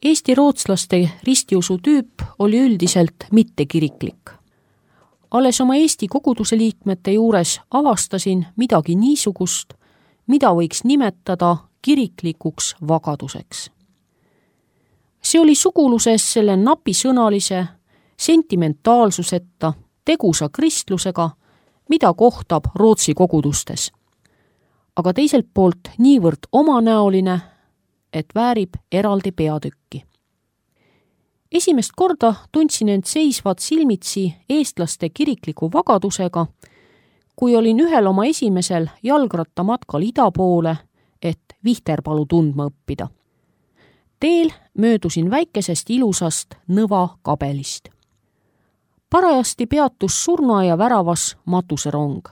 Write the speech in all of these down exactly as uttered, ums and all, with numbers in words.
Eesti rootslaste ristiusu tüüp oli üldiselt mittekiriklik. Alles oma Eesti koguduse liikmete juures avastasin midagi niisugust, mida võiks nimetada kiriklikuks vagaduseks. See oli suguluses selle napisõnalise, sentimentaalsuseta, tegusa kristlusega, mida kohtab Rootsi kogudustes. Aga teiselt poolt niivõrd omanäoline, et väärib eraldi peatükki. Esimest korda tundsin end seisvat silmitsi eestlaste kirikliku vagadusega, kui olin ühel oma esimesel jalgrattamatkal ida poole, et Vihterpalu tundma õppida. Teel möödusin väikesest ilusast Nõva kabelist. Parajasti peatus surnuaia väravas matuserong.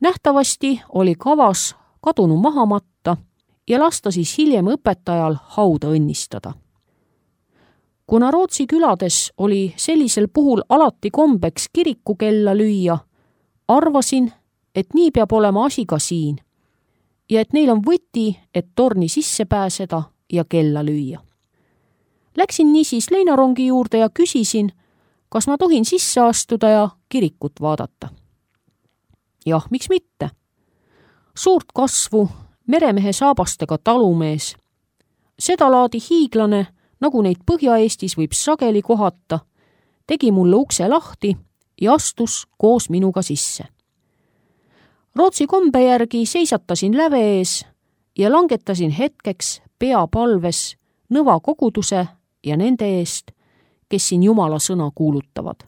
Nähtavasti oli kavas kadunu maha matta ja lasta siis hiljem õpetajal hauda õnnistada. Kuna Rootsi külades oli sellisel puhul alati kombeks kirikukella lüüa, arvasin, et nii peab olema asi ka siin ja et neil on võti, et torni sisse pääseda ja kella lüüa. Läksin niisiis leinarongi juurde ja küsisin, kas ma tohin sisse astuda ja kirikut vaadata. Jah, miks mitte? Suurt kasvu, meremehe saabastega talumees. Seda laadi hiiglane, nagu neid Põhja-Eestis võib sageli kohata, tegi mulle ukse lahti ja astus koos minuga sisse. Rootsi kombe järgi seisatasin läve ees ja langetasin hetkeks pea palves Nõva koguduse ja nende eest, kes siin Jumala sõna kuulutavad.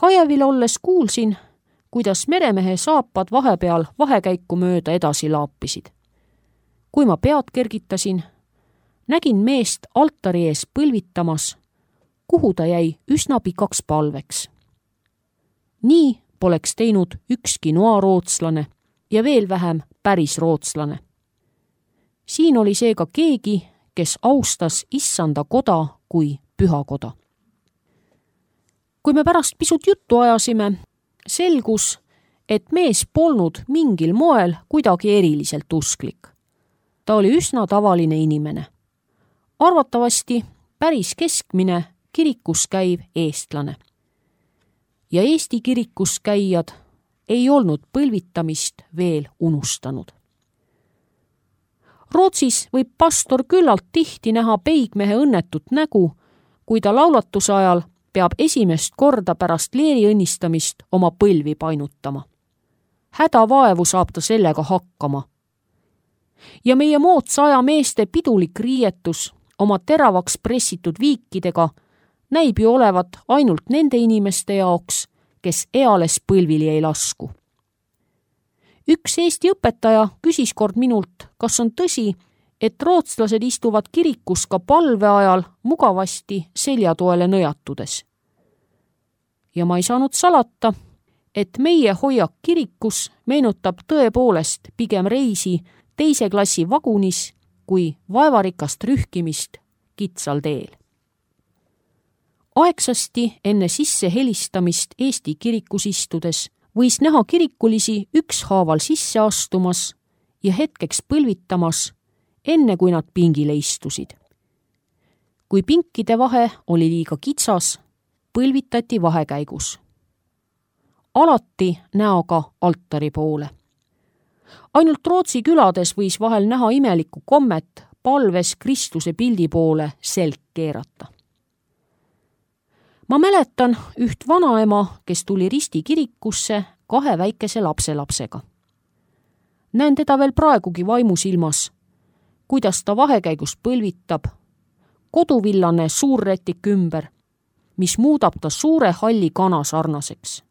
Hajevil olles kuulsin, kuidas meremehe saapad vahepeal vahekäiku mööda edasi laapisid. Kui ma pead kergitasin, nägin meest altari ees põlvitamas, kuhu ta jäi üsna pikaks palveks. Nii poleks teinud ükski noarootslane ja veel vähem päris rootslane. Siin oli seega keegi, kes austas issanda koda kui pühakoda. Kui me pärast pisut juttu ajasime, selgus, et mees polnud mingil moel kuidagi eriliselt usklik. Ta oli üsna tavaline inimene. Arvatavasti päris keskmine kirikus käiv eestlane. Ja Eesti kirikus käijad ei olnud põlvitamist veel unustanud. Rootsis võib pastor küllalt tihti näha peigmehe õnnetut nägu, kui ta laulatuse ajal peab esimest korda pärast leeri õnnistamist oma põlvi painutama. Hädavaevu saab ta sellega hakkama. Ja meie moodsa aja meeste pidulik riietus oma teravaks pressitud viikidega näib ju olevat ainult nende inimeste jaoks, kes eales põlvili ei lasku. Üks Eesti õpetaja küsis kord minult, kas on tõsi, et rootslased istuvad kirikus ka palve ajal mugavasti seljatoele nõjatudes. Ja ma ei saanud salata, et meie hoiak kirikus meenutab tõepoolest pigem reisi teise klassi vagunis kui vaevarikast rühkimist kitsal teel. Aegsasti enne sisse helistamist Eesti kirikus istudes võis näha kirikulisi ükshaaval sisse astumas ja hetkeks põlvitamas, enne kui nad pingile istusid. Kui pinkide vahe oli liiga kitsas, põlvitati vahekäigus. Alati näoga altari poole. Ainult Rootsi külades võis vahel näha imelikku kommet palves Kristuse pildi poole selg keerata. Ma mäletan üht vanaema, kes tuli Risti kirikusse kahe väikese lapselapsega. Näen teda veel praegugi vaimusilmas, kuidas ta vahekäigus põlvitab, koduvillane suurretik ümber, mis muudab ta suure halli kana sarnaseks.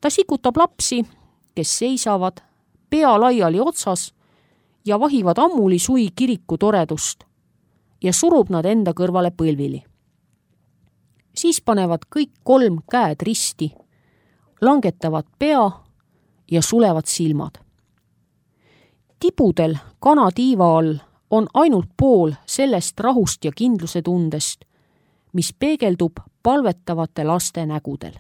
Ta sikutab lapsi, kes seisavad pea laiali otsas ja vahivad ammuli sui kiriku toredust ja surub nad enda kõrvale põlvili. Siis panevad kõik kolm käed risti, langetavad pea ja sulevad silmad. Tibudel kanatiiva all on ainult pool sellest rahust ja kindluse tundest, mis peegeldub palvetavate laste nägudel.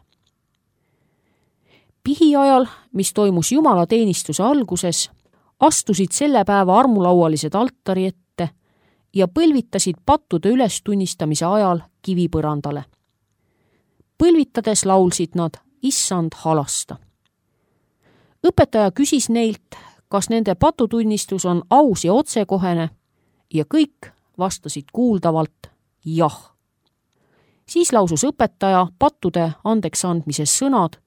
Pihiajal, mis toimus jumalateenistuse alguses, astusid selle päeva armulaualised altari ette, ja põlvitasid pattude ülestunnistamise ajal kivipõrandale. Põlvitades laulsid nad Issand halasta. Õpetaja küsis neilt, kas nende patutunnistus on aus ja otsekohene ja kõik vastasid kuuldavalt jah. Siis lausus õpetaja pattude andeks andmises sõnad,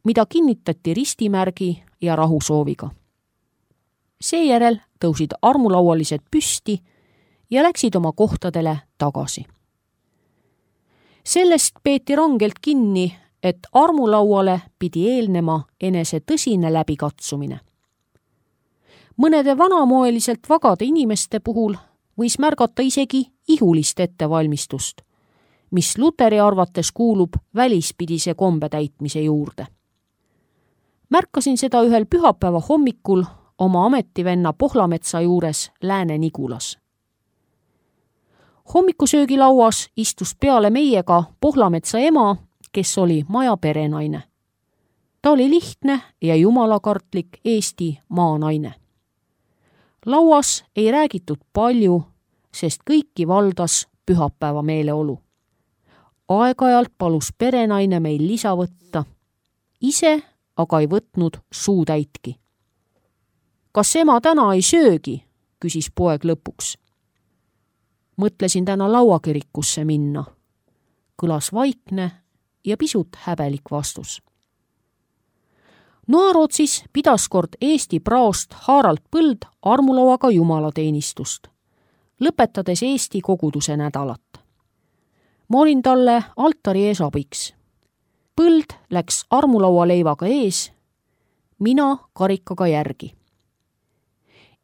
mida kinnitati ristimärgi ja rahusooviga. Seejärel tõusid armulaualised püsti ja läksid oma kohtadele tagasi. Sellest peeti rangelt kinni, et armulauale pidi eelnema enese tõsine läbikatsumine. Mõnede vanamoeliselt vagade inimeste puhul võis märgata isegi ihulist ettevalmistust, mis Luteri arvates kuulub välispidise kombe täitmise juurde. Märkasin seda ühel pühapäeva hommikul oma ametivenna Pohlametsa juures Lääne-Nigulas. Hommikusöögilauas istus peale meiega Pohlametsa ema, kes oli maja perenaine. Ta oli lihtne ja jumalakartlik Eesti maanaine. Lauas ei räägitud palju, sest kõiki valdas pühapäeva meeleolu. Aeg-ajalt palus perenaine meil lisa võtta, ise aga ei võtnud suutäitki. Kas ema täna ei söögi, küsis poeg lõpuks. Mõtlesin täna lauakirikusse minna. Kõlas vaikne ja pisut häbelik vastus. Noarootsis pidas kord Eesti praost Harald Põld armulauaga jumalateenistust, lõpetades Eesti koguduse nädalat. Ma olin talle altari ees abiks. Põld läks armulaualeivaga ees, mina karikaga järgi.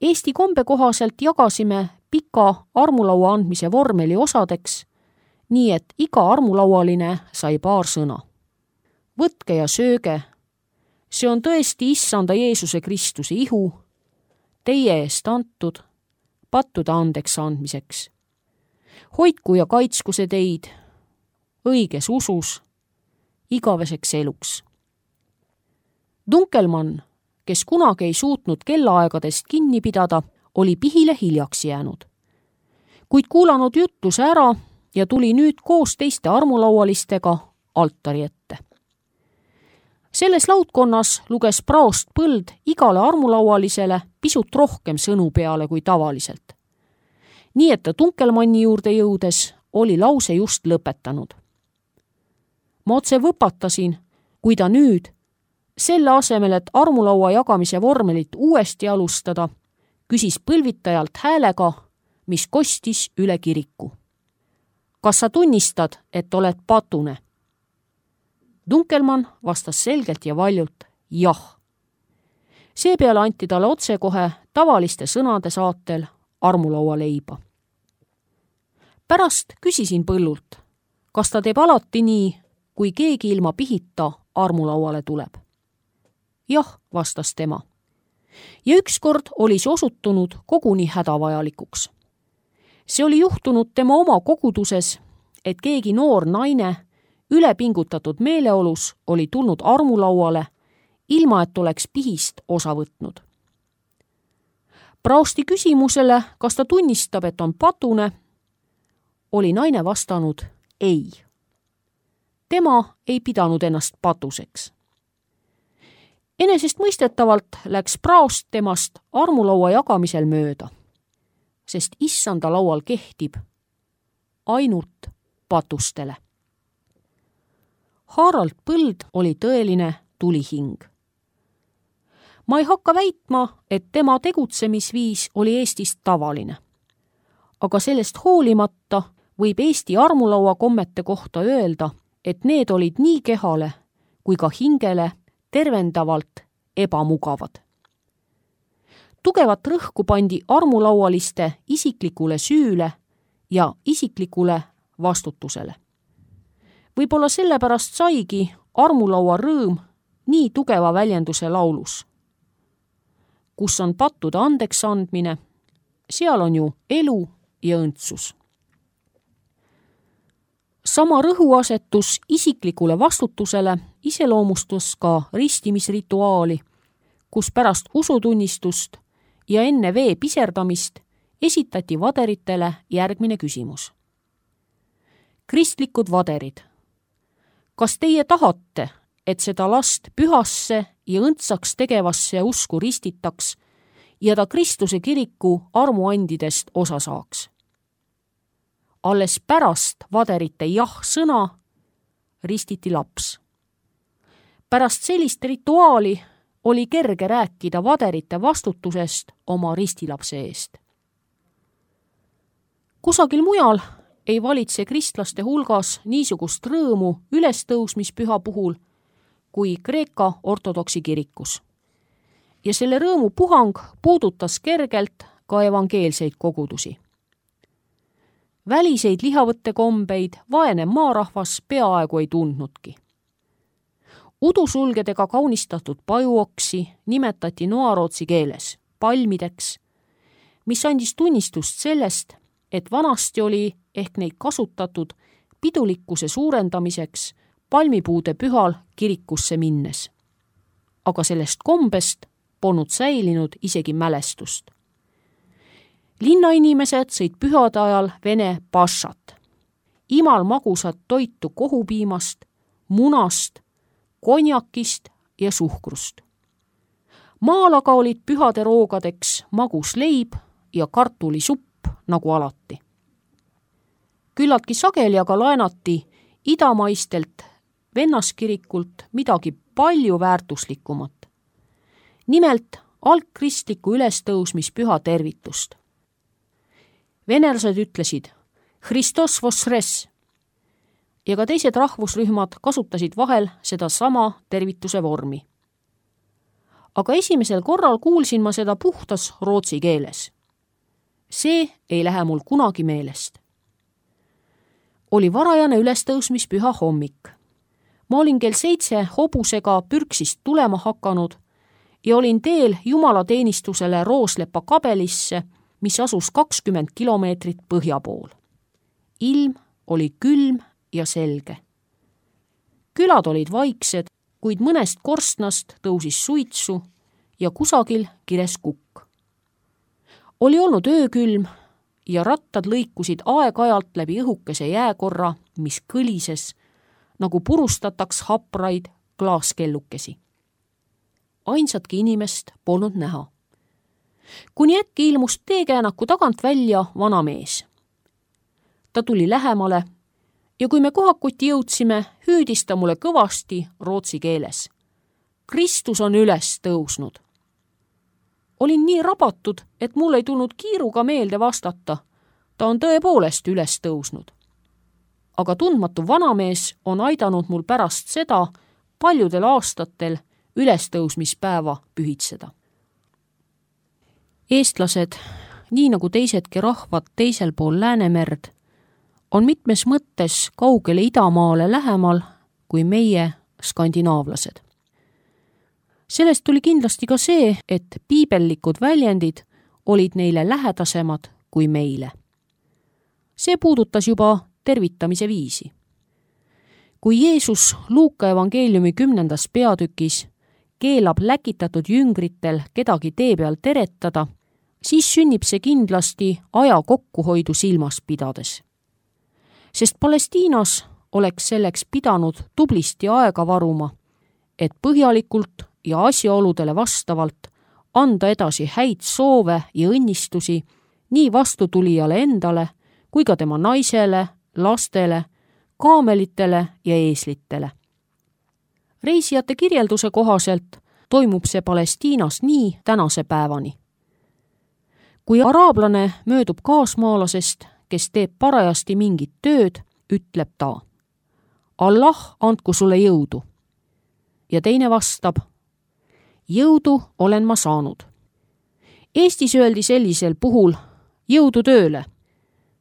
Eesti kombe kohaselt jagasime pika armulaua andmise vormeli osadeks, nii et iga armulaualine sai paar sõna. Võtke ja sööge, see on tõesti Issanda Jeesuse Kristuse ihu, teie eest antud, pattude andeks andmiseks. Hoidku ja kaitsku see teid, õiges usus, igaveseks eluks. Dunkelmann, kes kunagi ei suutnud kellaaegadest kinni pidada, oli pihile hiljaks jäänud. Kuid kuulanud jutluse ära ja tuli nüüd koos teiste armulaualistega altari ette. Selles laudkonnas luges praost Põld igale armulaualisele pisut rohkem sõnu peale kui tavaliselt. Nii et ta Dunkelmanni juurde jõudes oli lause just lõpetanud. Ma otse võpatasin, kui ta nüüd, selle asemel, et armulaua jagamise vormelit uuesti alustada, küsis põlvitajalt häälega, mis kostis üle kiriku. Kas sa tunnistad, et oled patune? Dunkelmann vastas selgelt ja valjult jah. Seepeale anti talle otsekohe tavaliste sõnade saatel armulaualeiba. Pärast küsisin Põllult, kas ta teeb alati nii, kui keegi ilma pihita armulauale tuleb. Jah, vastas tema. Ja ükskord oli see osutunud koguni hädavajalikuks. See oli juhtunud tema oma koguduses, et keegi noor naine ülepingutatud meeleolus oli tulnud armulauale, ilma et oleks pihist osa võtnud. Praosti küsimusele, kas ta tunnistab, et on patune, oli naine vastanud ei. Tema ei pidanud ennast patuseks. Enesest mõistetavalt läks praost temast armulaua jagamisel mööda, sest Issanda laual kehtib ainult patustele. Harald Põld oli tõeline tulihing. Ma ei hakka väitma, et tema tegutsemisviis oli Eestis tavaline. Aga sellest hoolimata võib Eesti armulaua kommete kohta öelda, et need olid nii kehale kui ka hingele tervendavalt ebamugavad. Tugevat rõhku pandi armulaualiste isiklikule süüle ja isiklikule vastutusele. Võib-olla sellepärast saigi armulaua rõõm nii tugeva väljenduse laulus. Kus on pattude andeks andmine, seal on ju elu ja õndsus. Sama rõhuasetus isiklikule vastutusele iseloomustus ka ristimisrituaali, kus pärast usutunnistust ja enne vee piserdamist esitati vaderitele järgmine küsimus. Kristlikud vaderid, kas teie tahate, et seda last pühasse ja õndsaks tegevasse usku ristitaks ja ta Kristuse kiriku armuandidest osa saaks? Alles pärast vaderite jah-sõna ristiti laps. Pärast sellist rituaali oli kerge rääkida vaderite vastutusest oma ristilapse eest. Kusagil mujal ei valitse kristlaste hulgas niisugust rõõmu ülestõusmispüha puhul kui Kreeka ortodoksi kirikus. Ja selle rõõmu puhang puudutas kergelt ka evangeelseid kogudusi. Väliseid lihavõttekombeid vaene maarahvas peaaegu ei tundnudki. Udusulgedega kaunistatud pajuoksi nimetati noarootsi keeles palmideks, mis andis tunnistust sellest, et vanasti oli ehk neid kasutatud pidulikkuse suurendamiseks palmipuude pühal kirikusse minnes. Aga sellest kombest polnud säilinud isegi mälestust. Linnainimesed sõid pühade ajal vene pašat, imal magusat toitu kohupiimast, munast, konjakist ja suhkrust. Maal aga olid pühade roogadeks magus leib ja kartulisupp nagu alati. Küllaltki sageli aga laenati idamaistelt vennaskirikult midagi palju väärtuslikumat. Nimelt algkristliku ülestõusmispüha tervitust. Venelased ütlesid Christos vosres ja ka teised rahvusrühmad kasutasid vahel seda sama tervituse vormi. Aga esimesel korral kuulsin ma seda puhtas rootsi keeles. See ei lähe mul kunagi meelest. Oli varajane ülestõusmispüha hommik. Ma olin kell seitse hobusega pürksist tulema hakanud ja olin teel jumalateenistusele Rooslepa kabelisse, mis asus kakskümmend kilomeetrit põhja pool. Ilm oli külm ja selge. Külad olid vaiksed, kuid mõnest korstnast tõusis suitsu ja kusagil kires kukk. Oli olnud öökülm ja rattad lõikusid aeg-ajalt läbi õhukese jääkorra, mis kõlises, nagu purustataks hapraid klaaskellukesi. Ainsatki inimest polnud näha. Kuni äkki ilmus teekäänaku tagant välja vana mees. Ta tuli lähemale ja kui me kohakuti jõudsime, hüüdis ta mulle kõvasti rootsi keeles. Kristus on üles tõusnud. Olin nii rabatud, et mul ei tulnud kiiruga meelde vastata. Ta on tõepoolest üles tõusnud. Aga tundmatu vanamees on aidanud mul pärast seda paljudel aastatel ülestõusmispäeva pühitseda. Eestlased, nii nagu teisedki rahvad teisel pool Läänemerd, on mitmes mõttes kaugele idamaale lähemal kui meie skandinaavlased. Sellest tuli kindlasti ka see, et piibellikud väljendid olid neile lähedasemad kui meile. See puudutas juba tervitamise viisi. Kui Jeesus Luuka evangeeliumi kümnendas peatükis keelab läkitatud jüngritel kedagi tee peal teretada, siis sünnib see kindlasti aja kokkuhoidu silmas pidades. Sest Palestiinas oleks selleks pidanud tublisti aega varuma, et põhjalikult ja asjaoludele vastavalt anda edasi häid soove ja õnnistusi nii vastutulijale endale kui ka tema naisele, lastele, kaamelitele ja eeslitele. Reisijate kirjelduse kohaselt toimub see Palestiinas nii tänase päevani. Kui araablane möödub kaasmaalasest, kes teeb parajasti mingit tööd, ütleb ta: Allah andku sulle jõudu. Ja teine vastab: jõudu olen ma saanud. Eestis öeldi sellisel puhul jõudu tööle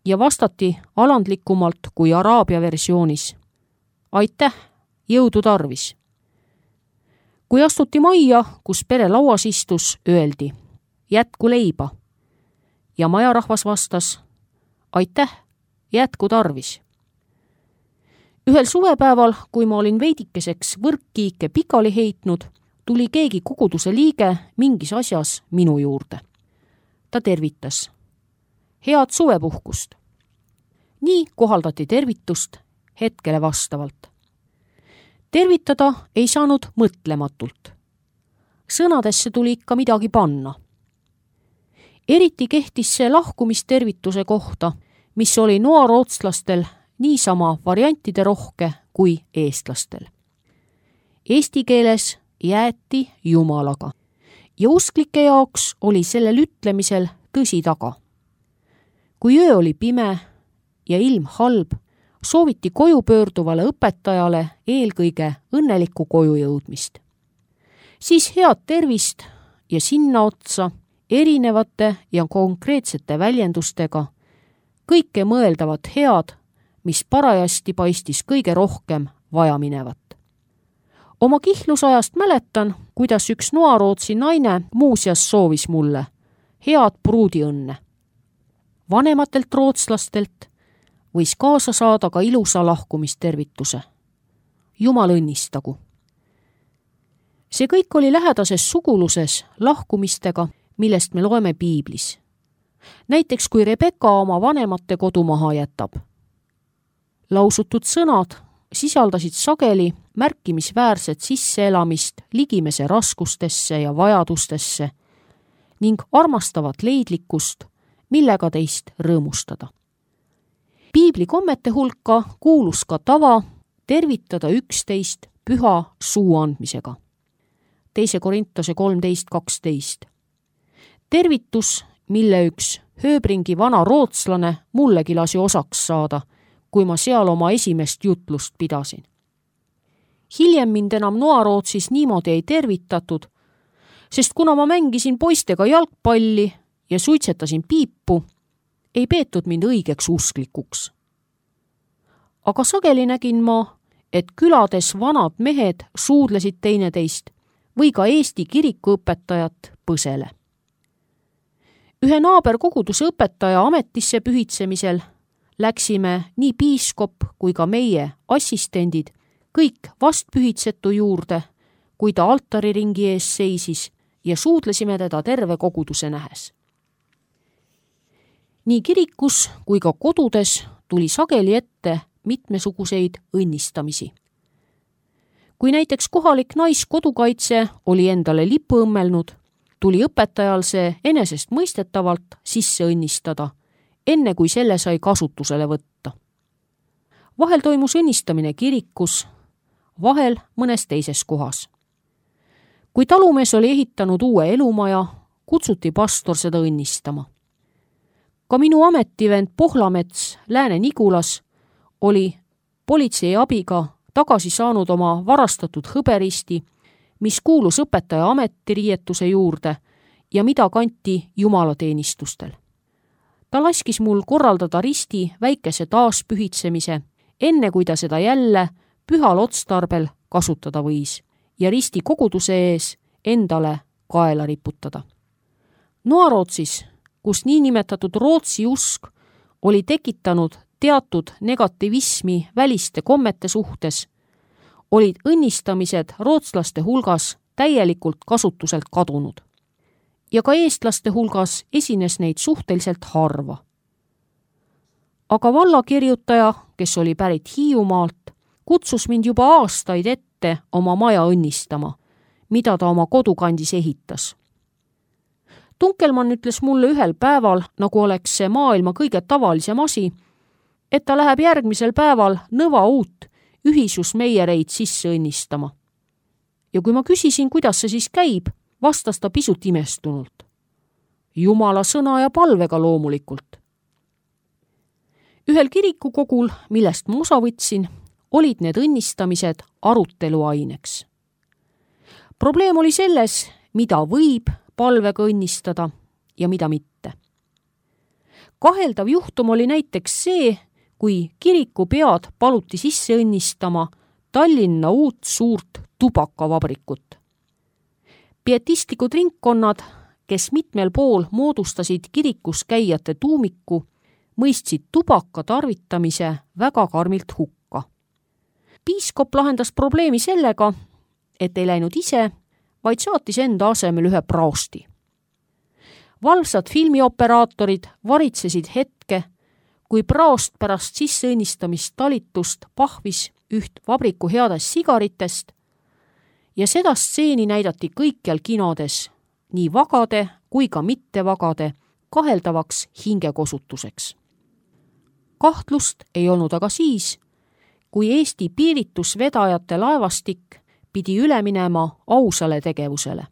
ja vastati alandlikumalt kui araabia versioonis: aitäh, jõudu tarvis. Kui astuti majja, kus pere lauas istus, öeldi: jätku leiba. Ja majarahvas vastas: aitäh, jätku tarvis. Ühel suvepäeval, kui ma olin veidikeseks võrkkiike pikali heitnud, tuli keegi koguduse liige mingis asjas minu juurde. Ta tervitas: head suvepuhkust. nii kohaldati tervitust hetkele vastavalt. tervitada ei saanud mõtlematult. sõnadesse tuli ikka midagi panna. eriti kehtis see lahkumistervituse kohta, mis oli noarootslastel niisama variantide rohke kui eestlastel. Eesti keeles jäeti Jumalaga ja usklike jaoks oli sellel ütlemisel tõsi taga. kui öö oli pime ja ilm halb, sooviti koju pöörduvale õpetajale eelkõige õnnelikku koju jõudmist. siis head tervist ja sinna otsa erinevate ja konkreetsete väljendustega kõike mõeldavat head, mis parajasti paistis kõige rohkem vajaminevat. Oma kihlusajast mäletan, kuidas üks noarootsi naine muuseas soovis mulle head pruudiõnne. Vanematelt rootslastelt võis kaasa saada ka ilusa lahkumistervituse. Jumal õnnistagu. See kõik oli lähedases suguluses lahkumistega, millest me loeme piiblis. Näiteks kui Rebeka oma vanemate kodu maha jätab. Lausutud sõnad sisaldasid sageli märkimisväärset sisseelamist ligimese raskustesse ja vajadustesse ning armastavat leidlikkust, millega teist rõõmustada. Piibli kommete hulka kuulus ka tava tervitada üksteist püha suu andmisega. teise Korintuse kolmteist kaksteist. Tervitus, mille üks Hööbringi vana rootslane mullegi lasi osaks saada, kui ma seal oma esimest jutlust pidasin. Hiljem mind enam Noarootsis niimoodi ei tervitatud, sest kuna ma mängisin poistega jalgpalli ja suitsetasin piipu, ei peetud mind õigeks usklikuks. Aga sageli nägin ma, et külades vanad mehed suudlesid teineteist või ka Eesti kirikuõpetajat põsele. Ühe naaberkoguduse õpetaja ametisse pühitsemisel läksime nii piiskop kui ka meie assistendid kõik vastpühitsetu juurde, kui ta altariringi ees seisis ja suudlesime teda terve koguduse nähes. Nii kirikus kui ka kodudes tuli sageli ette mitmesuguseid õnnistamisi. Kui näiteks kohalik naiskodukaitse oli endale lipu õmmelnud, tuli õpetajal see enesest mõistetavalt sisse õnnistada, enne kui selle sai kasutusele võtta. Vahel toimus õnnistamine kirikus, vahel mõnes teises kohas. Kui talumees oli ehitanud uue elumaja, kutsuti pastor seda õnnistama. Ka minu ametivend Pohlamets Lääne-Nigulas oli politsei abiga tagasi saanud oma varastatud hõberisti, mis kuulus õpetaja ametiriietuse juurde ja mida kanti jumalateenistustel. Ta laskis mul korraldada risti väikese taaspühitsemise, enne kui ta seda jälle pühal otstarbel kasutada võis ja risti koguduse ees endale kaela riputada. Noarootsis, kus niinimetatud Rootsi usk oli tekitanud teatud negativismi väliste kommete suhtes, olid õnnistamised rootslaste hulgas täielikult kasutuselt kadunud. Ja ka eestlaste hulgas esines neid suhteliselt harva. Aga vallakirjutaja, kes oli pärit Hiiumaalt, kutsus mind juba aastaid ette oma maja õnnistama, mida ta oma kodukandis ehitas. Tunkelmann ütles mulle ühel päeval, nagu oleks see maailma kõige tavalisem asi, et ta läheb järgmisel päeval nõva uut ühisusmeiereid sisse õnnistama. Ja kui ma küsisin, kuidas see siis käib, vastas ta pisut imestunult. Jumala sõna ja palvega loomulikult. Ühel kirikukogul, millest ma osa võtsin, olid need õnnistamised aruteluaineks. Probleem oli selles, mida võib palvega õnnistada ja mida mitte. Kaheldav juhtum oli näiteks see, kui kirikupead paluti sisse õnnistama Tallinna uut suurt tubakavabrikut. Pietistlikud ringkonnad, kes mitmel pool moodustasid kirikus käijate tuumiku, mõistsid tubaka tarvitamise väga karmilt hukka. Piiskop lahendas probleemi sellega, et ei läinud ise, vaid saatis enda asemel ühe praosti. valvsad filmioperaatorid varitsesid hetke, kui praost pärast sisseõnnistamist talitust pahvis üht vabriku headest sigaritest ja seda stseeni näidati kõikjal kinodes, nii vagade kui ka mittevagade, kaheldavaks hingekosutuseks. Kahtlust ei olnud aga siis, kui Eesti piiritusvedajate laevastik pidi üle minema ausale tegevusele.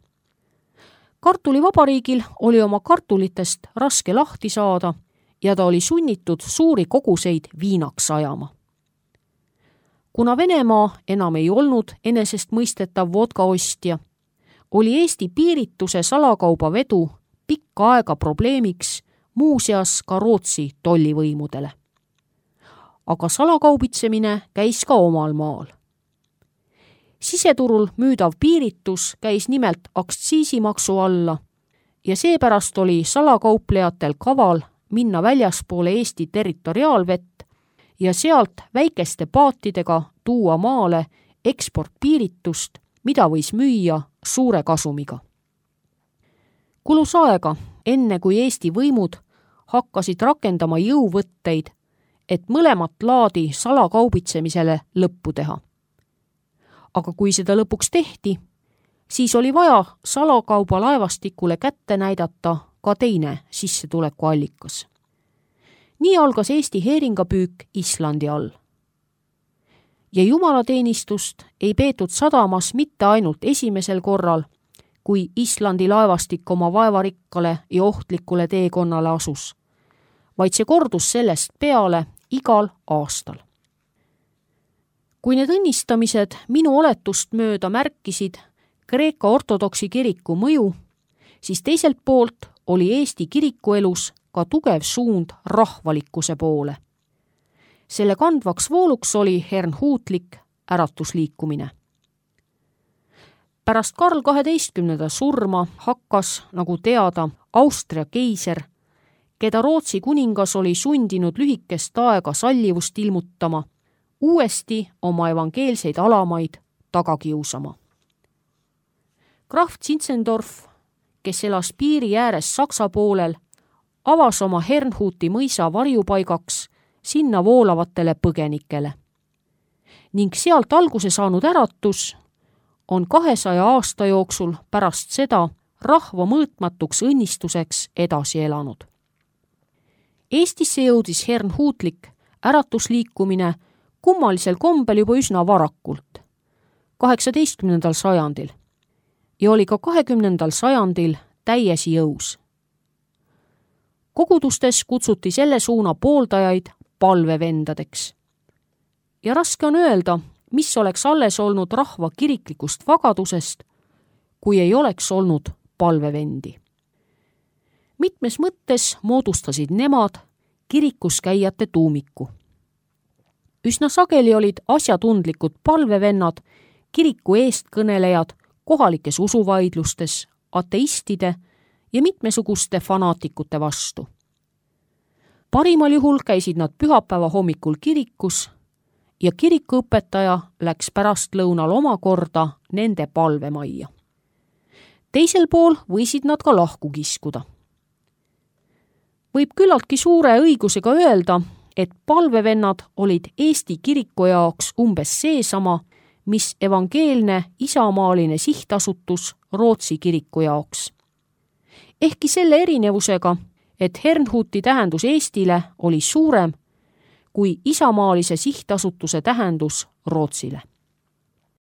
Kartulivabariigil oli oma kartulitest raske lahti saada ja ta oli sunnitud suuri koguseid viinaks ajama. Kuna Venemaa enam ei olnud enesestmõistetav vodka ostja, oli Eesti piirituse salakauba vedu pikka aega probleemiks muuseas ka Rootsi tollivõimudele. Aga salakaubitsemine käis ka omal maal. Siseturul müüdav piiritus käis nimelt aktsiisimaksu alla ja seepärast oli salakauplejatel kaval minna väljaspoole Eesti territoriaalvett ja sealt väikeste paatidega tuua maale eksportpiiritust, mida võis müüa suure kasumiga. Kulus aega, enne kui Eesti võimud hakkasid rakendama jõuvõtteid, et mõlemat laadi salakaubitsemisele lõppu teha. Aga kui seda lõpuks tehti, siis oli vaja salakauba laevastikule kätte näidata ka teine sissetulekuallikas. Nii algas Eesti heeringapüük Islandi all. Ja jumalateenistust ei peetud sadamas mitte ainult esimesel korral, kui Islandi laevastik oma vaevarikkale ja ohtlikule teekonnale asus, vaid see kordus sellest peale igal aastal. Kui need õnnistamised minu oletust mööda märkisid Kreeka ortodoksi kiriku mõju, siis teiselt poolt oli Eesti kirikuelus ka tugev suund rahvalikkuse poole. Selle kandvaks vooluks oli hernhuutlik äratusliikumine. Pärast Karl kaheteistkümnenda surma hakkas, nagu teada, Austria keiser, keda Rootsi kuningas oli sundinud lühikest aega sallivust ilmutama, uuesti oma evangeelseid alamaid taga kiusama. Graf Zinzendorf, kes elas piiri ääres Saksa poolel, avas oma Hernhuti mõisa varjupaigaks sinna voolavatele põgenikele. Ning sealt alguse saanud äratus on kahesaja aasta jooksul pärast seda rahva mõõtmatuks õnnistuseks edasi elanud. Eestisse jõudis hernhuutlik äratusliikumine kummalisel kombel juba üsna varakult, kaheksateistkümnendal sajandil, ja oli ka kahekümnendal sajandil täies jõus. Kogudustes kutsuti selle suuna pooldajaid palvevendadeks. Ja raske on öelda, mis oleks alles olnud rahva kiriklikust vagadusest, kui ei oleks olnud palvevendi. Mitmes mõttes moodustasid nemad kirikus käijate tuumiku. Üsna sageli olid asjatundlikud palvevennad, kiriku eestkõnelejad kohalikes usuvaidlustes, ateistide ja mitmesuguste fanaatikute vastu. Parimal juhul käisid nad pühapäeva hommikul kirikus ja kirikuõpetaja läks pärast lõunal omakorda nende palvemajja. Teisel pool võisid nad ka lahku kiskuda. Võib küllaltki suure õigusega öelda, et palvevennad olid Eesti kiriku jaoks umbes seesama, mis evangeelne isamaaline sihtasutus Rootsi kiriku jaoks. Ehkki selle erinevusega, et Hernhuti tähendus Eestile oli suurem kui isamaalise sihtasutuse tähendus Rootsile.